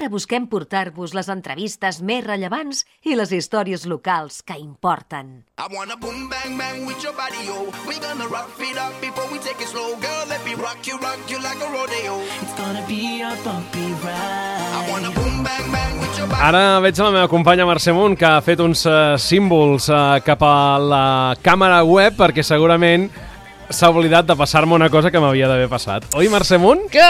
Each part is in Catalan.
busquem portar-vos les entrevistes més rellevants i les històries locals que importen. I wanna boom bang bang with your body, yo. We gonna rock it up before we take it slow. Girl, let me rock you like a rodeo. It's gonna be a bumpy ride. I wanna boom bang bang with your body. Ara veig la meva companya Mercè Munt, que ha fet uns símbols cap a la càmera web, perquè segurament s'ha oblidat de passar-me una cosa que m'havia d'haver passat. Oi, Mercè Munt? Que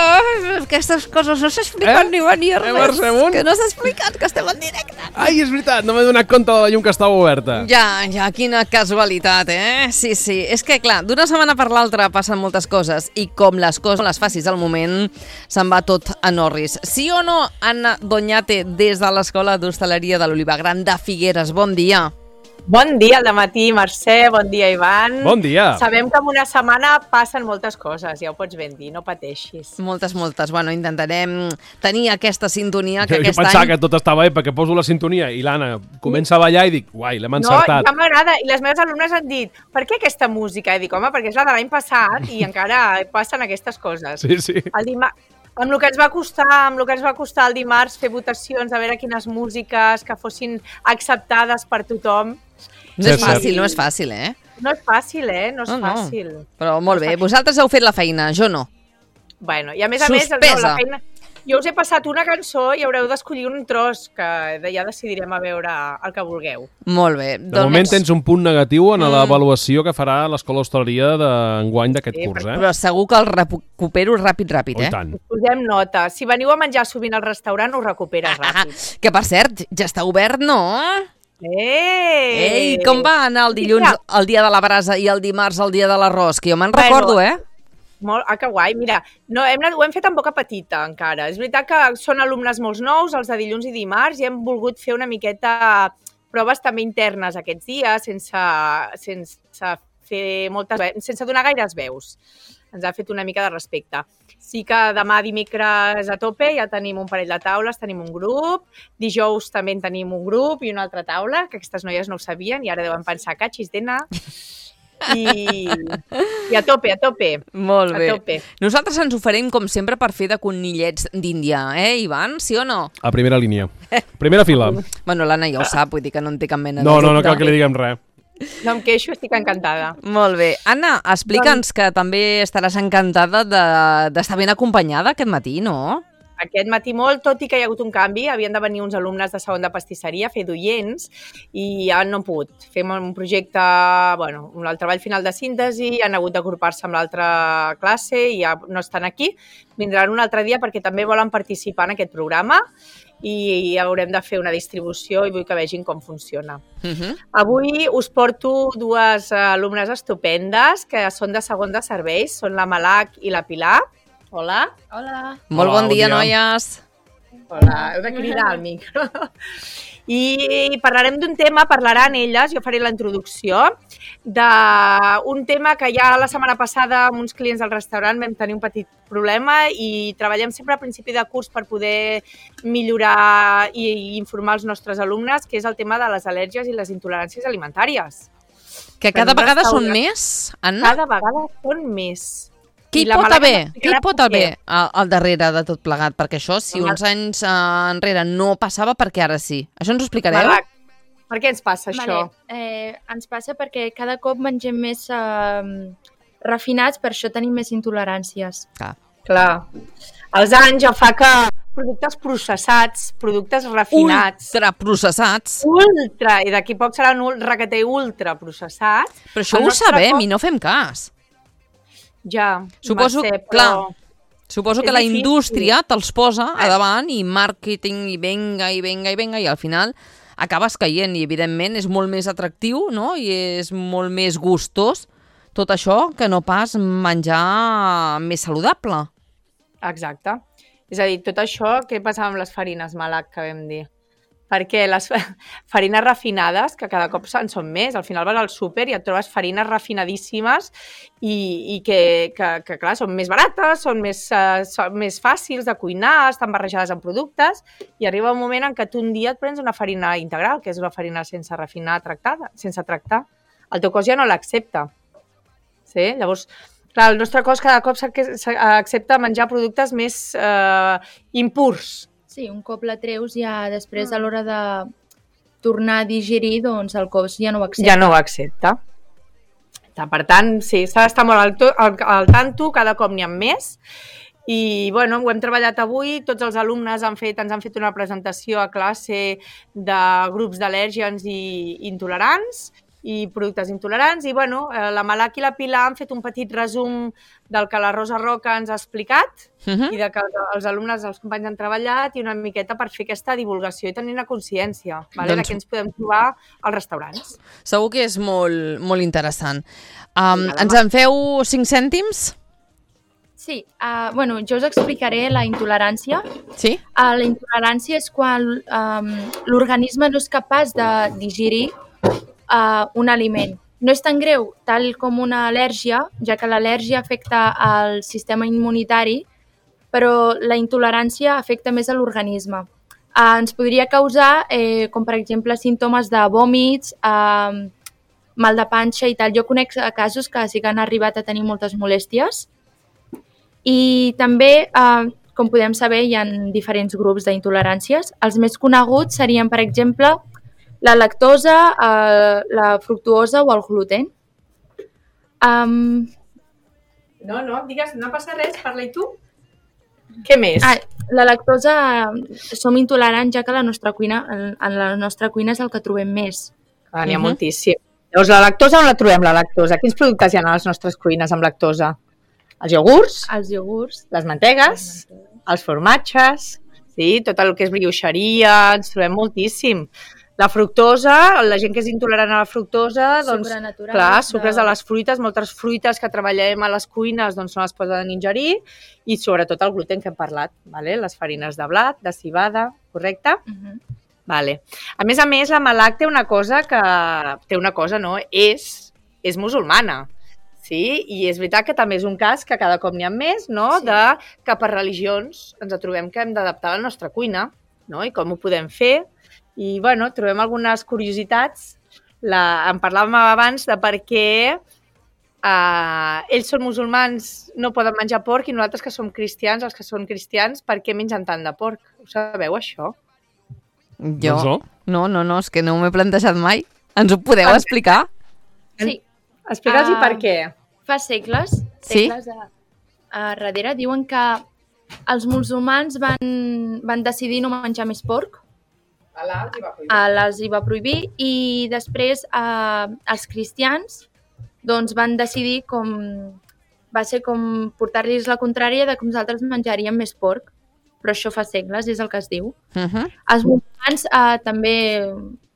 aquestes coses no s'expliquen ni venir res. Mercè Munt? Que no s'ha explicat, que estem en directe. Ai, és veritat, no m'he donat compte de la llum que estava oberta. Ja, quina casualitat, Sí. És que, clar, d'una setmana per l'altra passen moltes coses i com les coses les facis al moment, se'n va tot a Norris. Sí o no, Anna Doñate, des de l'Escola d'Hostaleria de l'Oliva Gran de Figueres? Bon dia. Bon dia al dematí, Mercè, bon dia, Ivan. Bon dia. Sabem que en una setmana passen moltes coses, ja ho pots ben dir, no pateixis. Moltes. Bueno, intentarem tenir aquesta sintonia que Jo aquest any... pensava que tot estava bé perquè poso la sintonia i l'Anna comença a ballar i dic, uai, l'hem encertat. No, ja m'agrada, i les meves alumnes han dit, per què aquesta música? I dic, home, perquè és la de l'any passat i encara passen aquestes coses. Sí. Amb el que ens va costar el dimarts fer votacions, a veure quines músiques que fossin acceptades per tothom. No és fàcil, no és fàcil, No és fàcil, no és fàcil. Però molt bé, vosaltres heu fet la feina, jo no. Bueno, i a més, la feina... Jo us he passat una cançó i haureu d'escollir un tros, que ja decidirem a veure el que vulgueu. Molt bé. De moment tens un punt negatiu en l'avaluació que farà l'Escola d'Hostaleria d'enguany d'aquest curs, Però segur que el recupero ràpid, Oh, i tant. Us posem nota. Si veniu a menjar sovint al restaurant, us recuperes ràpid. Que, per cert, ja està obert, no? Ei! Com va anar el dilluns, el dia de la brasa, i el dimarts, el dia de l'arròs? Que jo me'n recordo, Que guai. Mira, ho hem fet amb boca petita, encara. És veritat que són alumnes molt nous, els de dilluns i dimarts, i hem volgut fer una miqueta proves també internes aquests dies, sense donar gaires veus. Ens ha fet una mica de respecte. Sí que demà dimecres a tope ja tenim un parell de taules, tenim un grup, dijous també en tenim un grup i una altra taula, que aquestes noies no ho sabien i ara deuen pensar, catxis, dena... I a tope. Molt bé. Nosaltres ens oferim, com sempre, per fer de conillets d'Índia, Ivan? Sí o no? A primera línia. Primera fila. Bueno, l'Anna ja ho sap, vull dir que no en té cap mena de... No cal que li diguem res. No em queixo, estic encantada. Molt bé. Anna, explica'ns que també estaràs encantada d'estar ben acompanyada aquest matí, no? Aquest matí molt, tot i que hi ha hagut un canvi, havien de venir uns alumnes de segon de pastisseria a fer d'oients i ja no han pogut. Fem un projecte, el treball final de síntesi, han hagut d'agrupar-se amb l'altra classe i ja no estan aquí. Vindran un altre dia perquè també volen participar en aquest programa i haurem de fer una distribució i vull que vegin com funciona. Avui us porto dues alumnes estupendes que són de segon de serveis, són la Malak i la Pilar. Hola. Molt bon dia, noies. Hola, heu de cridar al micro. I parlarem d'un tema, parlaran elles, jo faré la introducció, d'un tema que ja la setmana passada amb uns clients del restaurant vam tenir un petit problema i treballem sempre a principi de curs per poder millorar i informar els nostres alumnes, que és el tema de les al·lèrgies i les intoleràncies alimentàries. Que cada vegada són més, Anna? Cada vegada són més. Què hi pot haver al darrere de tot plegat? Perquè això, si uns anys enrere no passava, per què ara sí? Això ens ho explicareu? Malak, per què ens passa això? Ens passa perquè cada cop mengem més refinats, per això tenim més intoleràncies. Clar. Els anys ja fa que productes processats, productes refinats... Ultraprocessats. I d'aquí poc seran requete ultraprocessats. Però això ho sabem i no fem cas. Ja, suposo que la indústria te'ls posa a davant i màrqueting i venga i al final acabes caient i evidentment és molt més atractiu, no? I és molt més gustós tot això que no pas menjar més saludable. Exacte. És a dir, tot això, què passava amb les farines, Malak, que vam dir? Perquè les farines refinades, que cada cop en són més, al final vas al súper i et trobes farines refinadíssimes i que clar, són més barates, són més fàcils de cuinar, estan barrejades amb productes i arriba un moment en què tu un dia et prens una farina integral, que és una farina sense refinar, sense tractar. El teu cos ja no l'accepta. Sí? Llavors, clar, el nostre cos cada cop accepta menjar productes més impurs. Sí, un cop la treus ja després a l'hora de tornar a digerir, doncs el cos ja no ho accepta. Ja no ho accepta. Per tant, sí, s'ha d'estar molt al tanto, cada cop n'hi ha més. I, bueno, ho hem treballat avui, tots els alumnes ens han fet una presentació a classe de grups d'al·lèrgens i intolerants i productes intolerants i, bueno, la Malak i la Pilar han fet un petit resum del que la Rosa Roca ens ha explicat i de que els alumnes, els companys han treballat i una miqueta per fer aquesta divulgació i tenir una consciència de què ens podem trobar als restaurants. Segur que és molt, molt interessant. Ens en feu 5 cèntims? Sí, bueno, jo us explicaré la intolerància. Sí? La intolerància és quan l'organisme no és capaç de digerir un aliment. No és tan greu tal com una al·lèrgia, ja que l'al·lèrgia afecta al sistema immunitari, però la intolerància afecta més a l'organisme. Ens podria causar, com per exemple, símptomes de vòmits, mal de panxa i tal. Jo conec casos que sí que han arribat a tenir moltes molèsties. I també, com podem saber, hi ha diferents grups d'intoleràncies. Els més coneguts serien, per exemple, la lactosa, la fructuosa o el gluten. No, digues, no passa res, parla-hi tu. Què més? La lactosa som intolerants, ja que en la nostra cuina és el que trobem més. N'hi ha moltíssim. Llavors, la lactosa, on la trobem, la lactosa? Quins productes hi ha a les nostres cuines amb lactosa? Els iogurts, les mantegues, els formatges, sí, tot el que és brioixeria, ens trobem moltíssim. La fructosa, la gent que és intolerant a la fructosa, doncs, clar, sucres de les fruites, moltes fruites que treballem a les cuines doncs no les poden ingerir i sobretot el gluten que hem parlat, les farines de blat, de civada, correcte? Vale. A més, la Malak té una cosa, és musulmana. Sí, i és veritat que també és un cas que cada cop n'hi ha més, no? De que per religions ens trobem que hem d'adaptar la nostra cuina, no? I com ho podem fer. I, bueno, trobem algunes curiositats. En parlàvem abans de per què ells són musulmans, no poden menjar porc, i nosaltres que som cristians, els que són cristians, per què mengen tant de porc? Ho sabeu, això? Jo? No, és que no m'he plantejat mai. Ens ho podeu explicar? Sí. Explica'ls per què. Fa segles darrere, diuen que els musulmans van decidir no menjar més porc. Allah els hi va prohibir i després els cristians doncs, van decidir va ser com portar-los la contrària de que nosaltres menjaríem més porc. Però això fa segles, és el que es diu. Els musulmans també,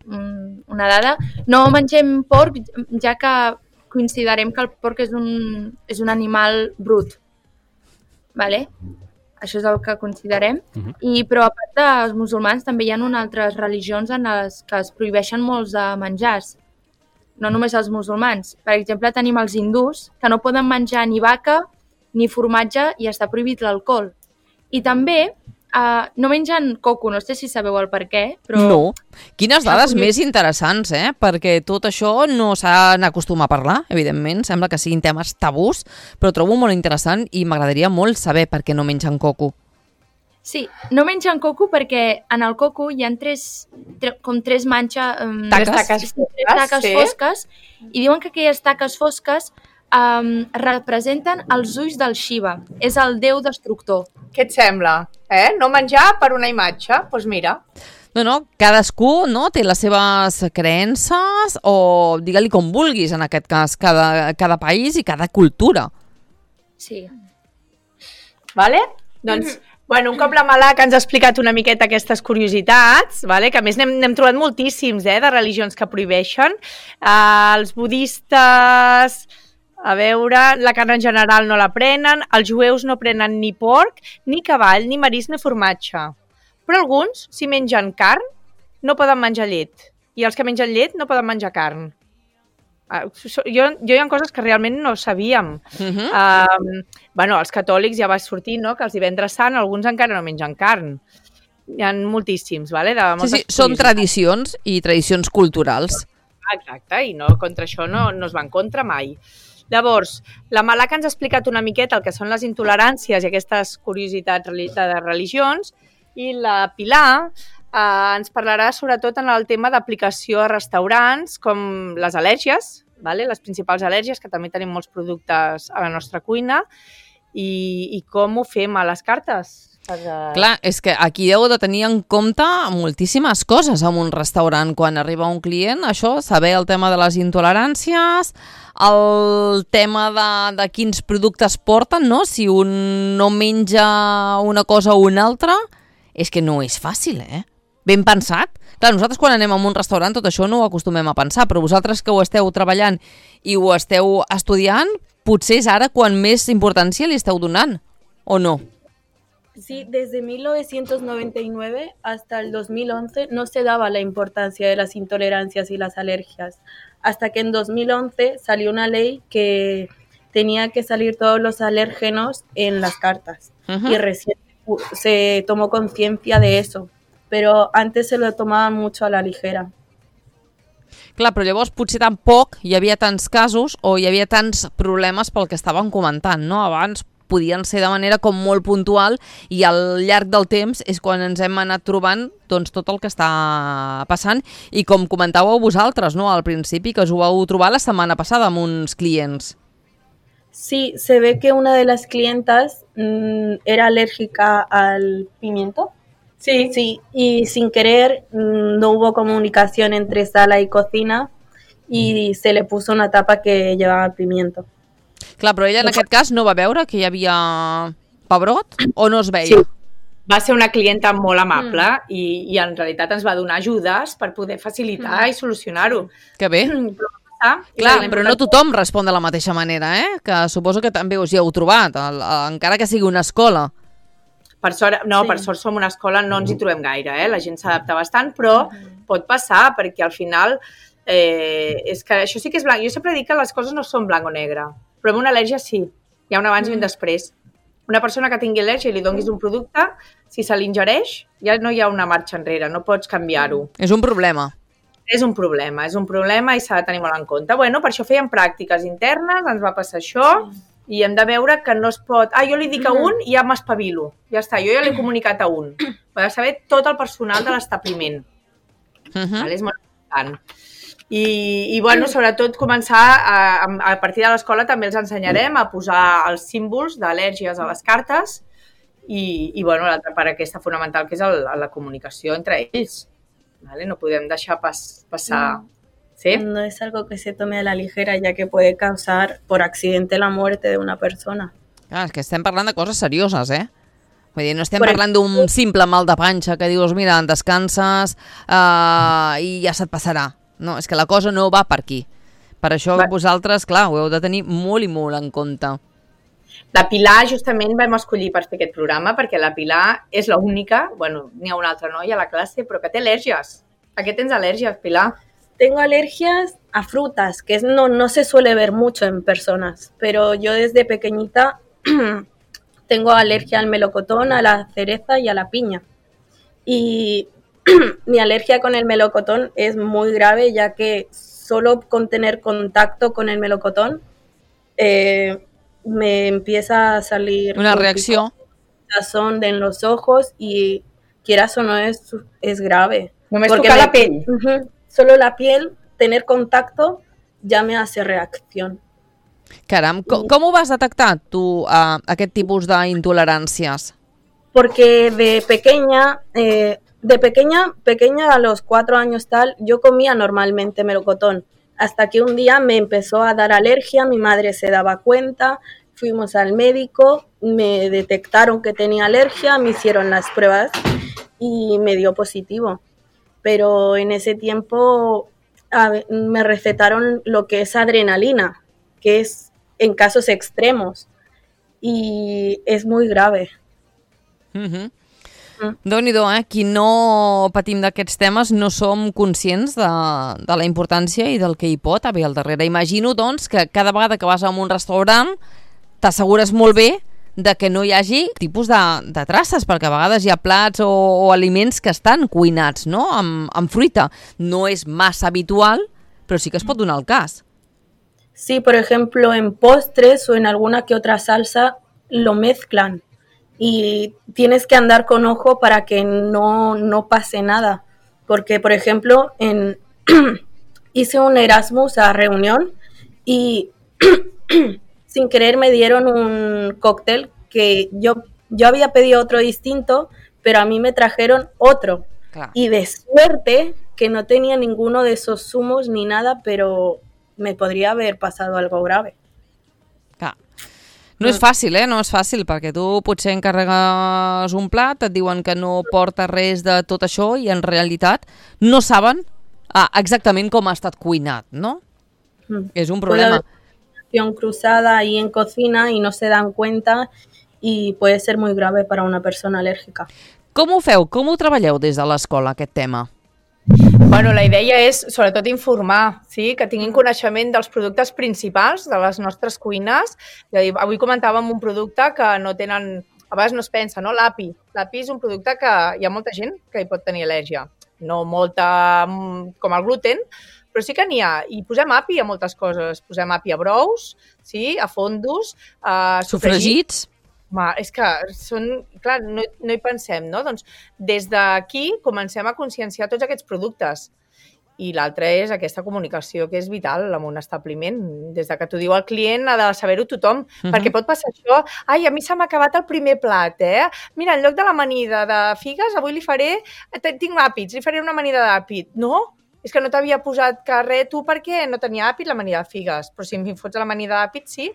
una dada, no mengem porc ja que considerem que el porc és un animal brut. Vale? Això és el que considerem. Però a part dels musulmans també hi ha altres religions en les que es prohibeixen molts de menjars. No només els musulmans. Per exemple, tenim els hindús, que no poden menjar ni vaca ni formatge i està prohibit l'alcohol. I també no mengen coco, no sé si sabeu el per què, però... No. Quines dades més interessants, Perquè tot això no s'ha d'acostumar a parlar, evidentment. Sembla que siguin temes tabús, però trobo molt interessant i m'agradaria molt saber per què no mengen coco. Sí, no mengen coco perquè en el coco hi ha tres manxes... taques fosques, i diuen que aquelles taques fosques representen els ulls del Shiva. És el déu destructor. Què et sembla? No menjar per una imatge? Doncs mira. No, cadascú té les seves creences o digue-li com vulguis, en aquest cas, cada país i cada cultura. Sí. Vale? Doncs, un cop la Malak ens ha explicat una miqueta aquestes curiositats, que a més n'hem trobat moltíssims de religions que prohibeixen. Els budistes... A veure, la carn en general no la prenen, els jueus no prenen ni porc, ni cavall, ni marisc, ni formatge. Però alguns, si mengen carn, no poden menjar llet. I els que mengen llet no poden menjar carn. Jo hi ha coses que realment no sabíem. Els catòlics ja va sortir, no?, que els divendres sant alguns encara no mengen carn. Hi ha moltíssims, Sí, són tradicions i tradicions culturals. Exacte, i no, contra això no es va en contra mai. Llavors, la Malak ens ha explicat una miqueta el que són les intoleràncies i aquestes curiositats de religions I la Pilar ens parlarà sobretot en el tema d'aplicació a restaurants, com les al·lèrgies, vale? Les principals al·lèrgies, que també tenim molts productes a la nostra cuina, i com ho fem a les cartes. Clar, és que aquí heu de tenir en compte moltíssimes coses en un restaurant. Quan arriba un client, això, saber el tema de les intoleràncies, el tema de quins productes porten, no? Si un no menja una cosa o una altra, és que no és fàcil, Ben pensat. Clar, nosaltres quan anem a un restaurant tot això no ho acostumem a pensar, però vosaltres que ho esteu treballant i ho esteu estudiant, potser és ara quan més importància li esteu donant, o no? Sí, desde 1999 hasta el 2011 no se daba la importancia de las intolerancias y las alergias, hasta que en 2011 salió una ley que tenía que salir todos los alérgenos en las cartas. Y recién se tomó conciencia de eso, però antes se lo tomaven mucho a la ligera. Clar, però llavors potser tampoc hi havia tants casos o hi havia tants problemes pel que estaven comentant, no? Abans podien ser de manera com molt puntual i al llarg del temps és quan ens hem anat trobant doncs, tot el que està passant i com comentàveu vosaltres, no? Al principi, que us ho vau trobar la setmana passada amb uns clients. Sí, se ve que una de las clientas era alérgica al pimiento. Sí, y sin querer no hubo comunicación entre sala y cocina y se le puso una tapa que llevaba pimiento. Clar, però ella en aquest cas no va veure que hi havia pebrot o no es veia? Sí, va ser una clienta molt amable i en realitat ens va donar ajudes per poder facilitar i solucionar-ho. Que bé. Clar, però no tothom respon de la mateixa manera, que suposo que també us hi heu trobat, encara que sigui una escola. Per sort, per sort som una escola, no ens hi trobem gaire, la gent s'adapta bastant, però pot passar, perquè al final és que això sí que és blanc. Jo sempre dic que les coses no són blanc o negre, però amb una al·lèrgia sí, hi ha un abans i un després. Una persona que tingui al·lèrgia i li donis un producte, si se l'ingereix, ja no hi ha una marxa enrere, no pots canviar-ho. És un problema. És un problema i s'ha de tenir molt en compte. Bueno, per això fèiem pràctiques internes, ens va passar això, i hem de veure que no es pot... jo li dic a un i ja m'espavilo. Ja està, jo ja l'he comunicat a un. Ho ha de saber tot el personal de l'establiment. És molt important. I bueno, sobretot començar, a partir de l'escola també els ensenyarem a posar els símbols d'al·lèrgies a les cartes i bueno, l'altra part aquesta fonamental que és la comunicació entre ells. No podem deixar passar... ¿Sí? No es algo que se tome a la ligera, ya que puede causar por accidente la muerte de una persona. Clar, és que estem parlant de coses serioses, Vull dir, no estem parlant d'un simple mal de panxa que dius, mira, descanses i ja se't passarà. No, és que la cosa no va per aquí. Per això vosaltres, clar, ho heu de tenir molt i molt en compte. La Pilar justament vam escollir per fer aquest programa perquè la Pilar és l'única, bueno, n'hi ha una altra noia a la classe, però que té al·lèrgies. ¿A qué tens al·lèrgies, Pilar? Tengo alergias a frutas, que no se suele ver mucho en personas, pero yo desde pequeñita tengo alergia al melocotón, a la cereza y a la piña. Y mi alergia con el melocotón es muy grave, ya que solo con tener contacto con el melocotón me empieza a salir una reacción en los ojos y quieras o no es grave. Només tocar la pell. Solo la piel, tener contacto, ya me hace reacción. Caram, com ho vas detectar tu, aquest tipus d'intoleràncies? Porque de pequeña a los 4 años tal, yo comía normalmente melocotón, hasta que un día me empezó a dar alergia, mi madre se daba cuenta, fuimos al médico, me detectaron que tenía alergia, me hicieron las pruebas y me dio positivo. Pero en ese tiempo me recetaron lo que es adrenalina, que es en casos extremos, y es muy grave. Déu-n'hi-do, qui no patim d'aquests temes no som conscients de la importància i del que hi pot haver al darrere. Imagino, doncs, que cada vegada que vas a un restaurant t'assegures molt bé de que no hi hagi tipus de traces, perquè a vegades hi ha plats o aliments que estan cuinats, no? Amb fruita. No és massa habitual, però sí que es pot donar el cas. Sí, por ejemplo, en postres o en alguna que otra salsa lo mezclan y tienes que andar con ojo para que no pase nada. Porque, por ejemplo, hice un Erasmus a reunión y sin querer me dieron un cóctel que yo había pedido otro distinto, pero a mí me trajeron otro. Clar. Y de suerte que no tenía ninguno de esos zumos ni nada, pero me podría haber pasado algo grave. Clar. No és fàcil, no és fàcil, perquè tu potser encarregues un plat, et diuen que no porta res de tot això i en realitat no saben exactament com ha estat cuinat, no? És un problema. Puede haber cruzada ahí en cocina y no se dan cuenta y puede ser muy grave para una persona alérgica. Com ho feu? Com ho treballeu des de l'escola, aquest tema? Bueno, la idea és, sobretot, informar, sí? Que tinguin coneixement dels productes principals de les nostres cuines. És a dir, avui comentàvem un producte que no tenen... A vegades no es pensa, no? L'api. L'api és un producte que hi ha molta gent que hi pot tenir al·lèrgia. No molta com el gluten, però sí que n'hi ha. I posem api a moltes coses. Posem api a brous, sí? A fondos, a sofregits. És que són... Clar, no hi pensem, no? Doncs des d'aquí comencem a conscienciar tots aquests productes. I l'altre és aquesta comunicació, que és vital en un establiment. Des de que t'ho diu el client ha de saber-ho tothom, perquè pot passar això. Ai, a mi se m'ha acabat el primer plat, Mira, en lloc de l'amanida de figues, avui li faré... Tinc àpids, li faré una amanida d'àpid. No? És que no t'havia posat res tu perquè no tenia àpid l'amanida de figues. Però si em fots l'amanida d'àpid, sí.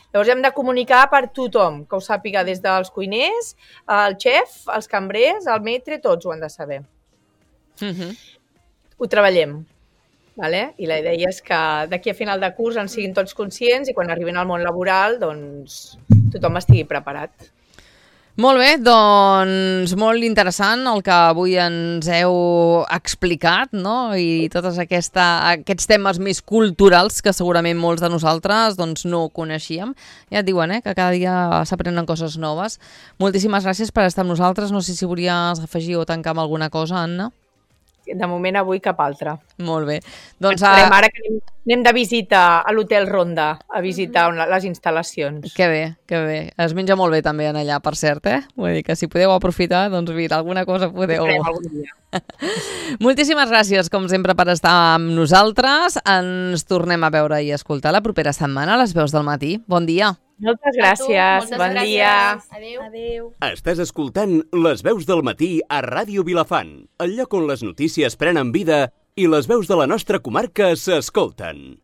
Llavors hem de comunicar per tothom, que ho sàpiga des dels cuiners, el xef, els cambrers, el maitre, tots ho han de saber. Ho treballem, vale? I la idea és que d'aquí a final de curs en siguin tots conscients i quan arribin al món laboral doncs tothom estigui preparat. Molt bé, doncs molt interessant el que avui ens heu explicat, no? I tots aquests temes més culturals que segurament molts de nosaltres doncs, no coneixíem. Ja et diuen que cada dia s'aprenen coses noves. Moltíssimes gràcies per estar amb nosaltres. No sé si volies afegir o tancar amb alguna cosa, Anna. De moment avui cap altre. Molt bé. Doncs ara que anem de visita a l'Hotel Ronda, a visitar les instal·lacions. Que bé, que bé. Es menja molt bé també en allà, per cert, Vull dir que si podeu aprofitar, doncs mira, alguna cosa podeu... Moltíssimes gràcies, com sempre, per estar amb nosaltres. Ens tornem a veure i escoltar la propera setmana a les veus del matí. Bon dia. Moltes gràcies. Bon dia. Adéu. Estàs escoltant Les veus del matí a Ràdio Vilafant, el lloc on les notícies prenen vida i les veus de la nostra comarca s'escolten.